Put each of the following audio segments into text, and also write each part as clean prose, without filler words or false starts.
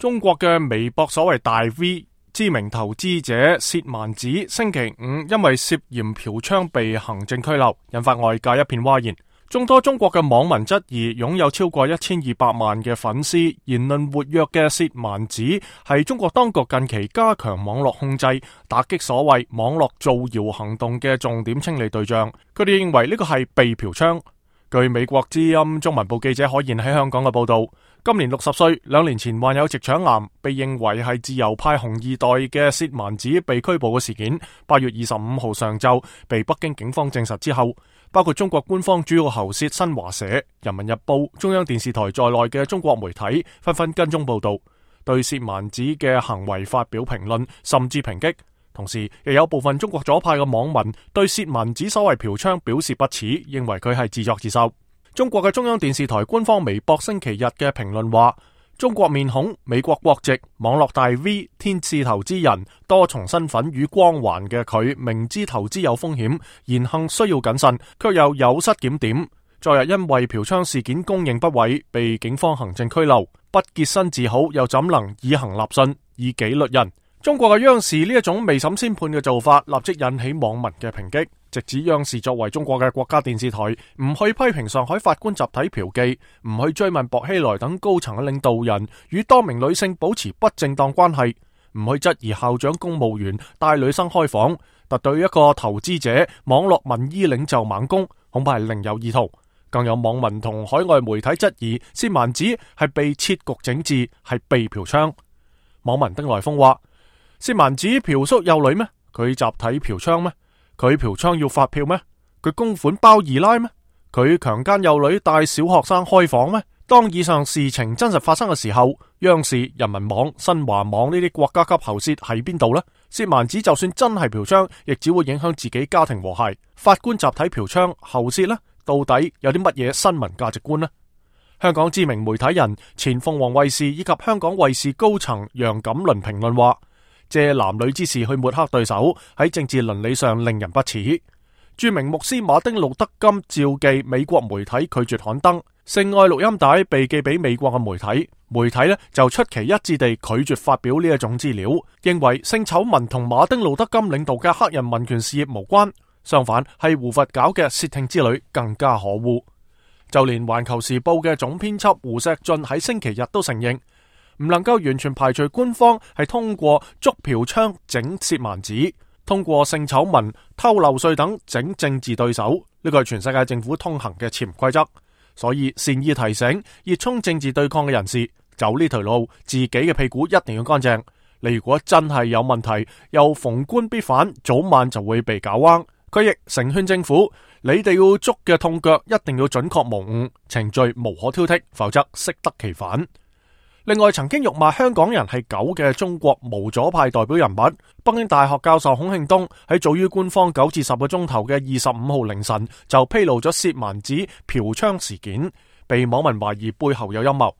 中國嘅微博所謂大 V 知名投資者薛蠻子星期五因為涉嫌嫖娼被行政拘留，引發外界一片譁然。眾多中國嘅網民質疑擁有超過1200萬嘅粉絲、言論活躍嘅薛蠻子係中國當局近期加強網絡控制、打擊所謂網絡造謠行動嘅重點清理對象。佢哋認為呢個係被嫖娼。據美國之音中文部記者可言喺香港嘅報道，今年60歲，2年前患有直腸癌，被認為係自由派紅二代嘅薛蠻子被拘捕嘅事件，8月25號上晝被北京警方證實之後，包括中國官方主要喉舌新華社、人民日報、中央電視台在內嘅中國媒體紛紛跟蹤報道，對薛蠻子嘅行為發表評論，甚至抨擊。同時，亦有部分中國左派嘅網民對薛蠻子所謂嫖娼表示不齒，認為佢係自作自受。中國嘅中央電視台官方微博星期日嘅評論話，中國面孔、美國國籍、網絡大 V、天使投資人、多重身份與光環嘅佢，明知投資有風險，言行需要謹慎，卻又有失檢點。昨日因為嫖娼事件供認不諱，被警方行政拘留，不潔身自好，又怎能以行立信，以紀律人？中國嘅央視呢一種未審先判嘅做法，立即引起網民嘅抨擊，直指央視作為中國嘅國家電視台，唔去批評上海法官集體嫖妓，唔去追問薄熙來等高層嘅領導人與多名女性保持不正當關係，唔去質疑校長公務員帶女生開房，特對一個投資者、網絡民意領袖猛攻，恐怕係另有意圖。更有網民同海外媒體質疑薛蠻子係被設局整治，係被嫖娼。網民丁來峰話，薛蠻子嫖宿幼女咩？佢集體嫖娼咩？佢嫖娼要發票咩？佢公款包二奶咩？佢強姦幼女帶小學生開房咩？當以上事情真實發生嘅時候，央視、人民網、新華網呢啲國家級喉舌喺邊度呢？薛蠻子就算真係嫖娼，亦只會影響自己家庭和諧。法官集體嫖娼，喉舌呢？到底有啲乜嘢新聞價值觀呢？香港知名媒體人、前鳳凰衛視以及香港衛視高層楊錦麟評論話，借男女之事去抹黑對手，喺政治倫理上令人不齒。著名牧師馬丁路德金召妓美國媒體拒絕刊登，性愛錄音帶被寄俾美國嘅媒體，媒體呢就出奇一致地拒絕發表呢一種資料，認為性醜聞同馬丁路德金領導嘅黑人民權事業無關，相反係胡佛搞嘅竊聽之旅更加可惡。就連環球時報嘅總編輯胡錫進喺星期日都承認，唔能夠完全排除官方係通過捉嫖娼整薛蠻子，通過性醜聞、偷漏稅等整政治對手，呢個係全世界政府通行嘅潛規則。所以善意提醒熱衷政治對抗嘅人士，走呢條路，自己嘅屁股一定要乾淨。你如果真係有問題，又逢官必反，早晚就會被搞彎。佢亦誠勸政府，你哋要捉嘅痛腳一定要準確無誤，程序無可挑剔，否則適得其反。另外，曾經辱罵香港人係狗嘅中國無左派代表人物北京大學教授孔慶東喺早於官方9至10個鐘頭嘅25號凌晨就披露咗薛蠻子嫖娼事件，被網民懷疑背後有陰謀。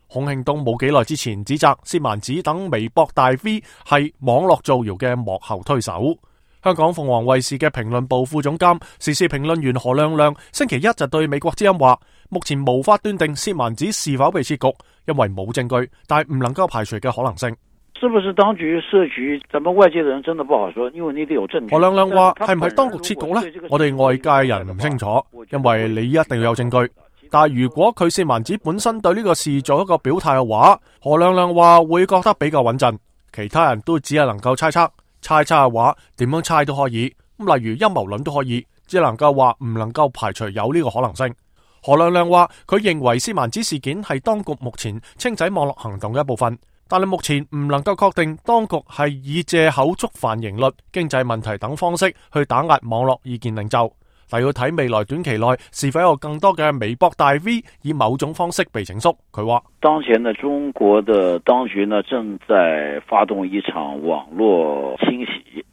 孔慶東冇幾耐之前指責薛蠻子等微博大 V 係網絡造謠嘅幕後推手。香港鳳凰衛視嘅評論部副總監、時事評論員何亮亮星期一就對美國之音話，目前無法斷定薛蠻子是否被設局，因為冇證據，但係唔能夠排除嘅可能性。是不是當局設局，咱們外界的人真的不好說，因為你得有證據。何亮亮話，係唔係當局設局呢？我哋外界人唔清楚，因為你一定要有證據。但係如果佢薛蠻子本身對呢個事做一個表態嘅話，何亮亮話會覺得比較穩陣，其他人都只係能夠猜測。猜測嘅話，點樣猜都可以。例如陰謀論都可以，只能夠話唔能夠排除有呢個可能性。何亮亮話，佢認為薛蠻子事件係當局目前清洗網絡行動嘅一部分，但係目前唔能夠確定當局係以借口觸犯刑律、經濟問題等方式去打壓網絡意見領袖。但要睇未來短期內是否有更多嘅微博大 V 以某種方式被整肅。佢話：當前的中國的當局呢，正在發動一場網絡清洗。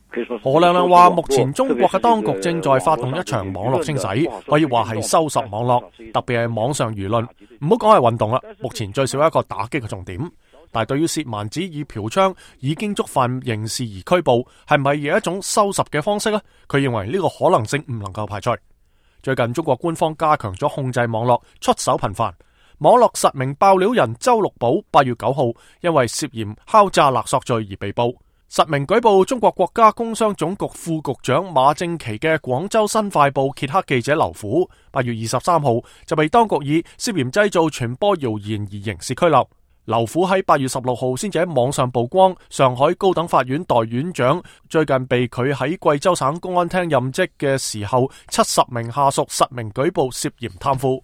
何亮亮話：目前中國嘅當局正在發動一場網絡清洗，可以話係收拾網絡，特別係網上輿論。唔好講係運動啦，目前最少一個打擊嘅重點。但係對於薛蠻子以嫖娼已經觸犯刑事而拘捕，係咪有一種收拾嘅方式呢？佢認為呢個可能性唔能夠排除。最近中國官方加強咗控制網絡，出手頻繁，網絡實名爆料人周六寶8月9號因為涉嫌敲詐勒索罪而被捕。實名舉報中國國家工商總局副局長馬正祺嘅廣州新快報揭黑記者劉虎8月23號就被當局以涉嫌製造傳播謠言而刑事拘留。劉虎喺8月16號先至喺網上曝光，上海高等法院代院長最近被佢喺貴州省公安廳任職嘅時候，70名下屬實名舉報涉嫌貪腐。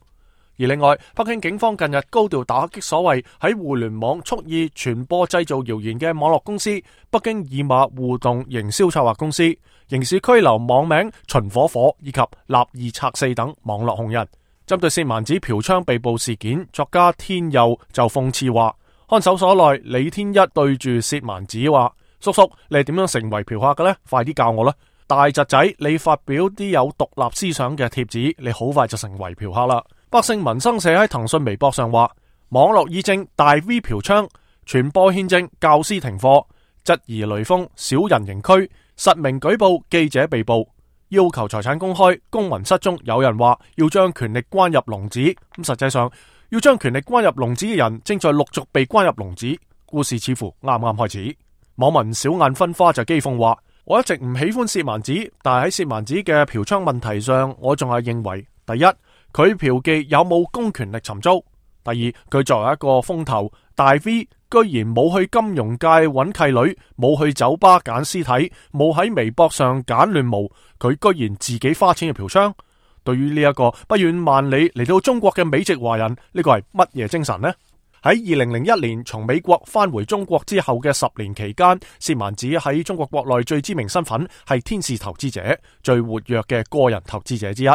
而另外，北京警方近日高調打擊所謂喺互聯網蓄意傳播製造謠言嘅網絡公司北京二馬互動營銷策劃公司，刑事拘留網名秦火火以及立二拆四等網絡紅人。針對薛蠻子嫖娼被捕事件，作家天佑就諷刺話：看守所內李天一對住薛蠻子話，叔叔，你係點樣成為嫖客嘅呢？快啲教我啦！大侄仔，你發表啲有獨立思想嘅貼子，你好快就成為嫖客啦！百姓民生社喺騰訊微博上話：網絡議政大 V 嫖娼，傳播憲政教師停課，質疑雷鋒小人刑拘，實名舉報記者被捕，要求財產公開，公民失蹤。有人話要將權力關入籠子，咁實際上要將權力關入籠子嘅人正在陸續被關入籠子。故事似乎啱啱開始。網民小眼分花就譏諷話：我一直唔喜歡薛蠻子，但係喺薛蠻子嘅嫖娼問題上，我仲係認為第一，佢嫖妓有冇公權力尋租？第二，佢作為一個風頭大 V，居然冇去金融界揾契女，冇去酒吧揀屍體，冇喺微博上揀亂毛，佢居然自己花錢去嫖娼。對於呢一個不遠萬里嚟到中國嘅美籍華人，呢個係乜嘢精神呢？喺2001年從美國返回中國之後嘅10年期間，薛蠻子喺中國國內最知名身份係天使投資者，最活躍嘅個人投資者之一。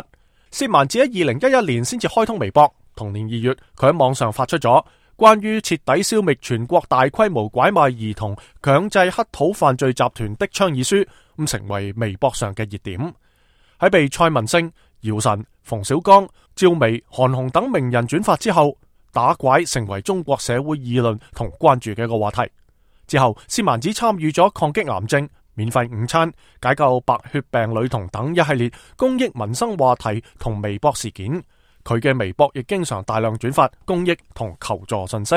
薛蠻子喺2011年先至開通微博，同年2月佢喺網上發出咗關於徹底消滅全國大規模拐賣兒童、強制乞討犯罪集團的倡議書，咁成為微博上嘅熱點。喺被蔡文勝、姚晨、馮小剛、趙薇、韓紅等名人轉發之後，打拐成為中國社會議論同關注嘅一個話題。之後，薛蠻子參與咗抗擊癌症、免費午餐、解救白血病女童等一系列公益民生話題同微博事件。佢嘅微博亦經常大量轉發公益同求助信息。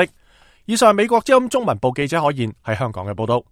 以上係美國之音中文部記者可言喺香港嘅報道。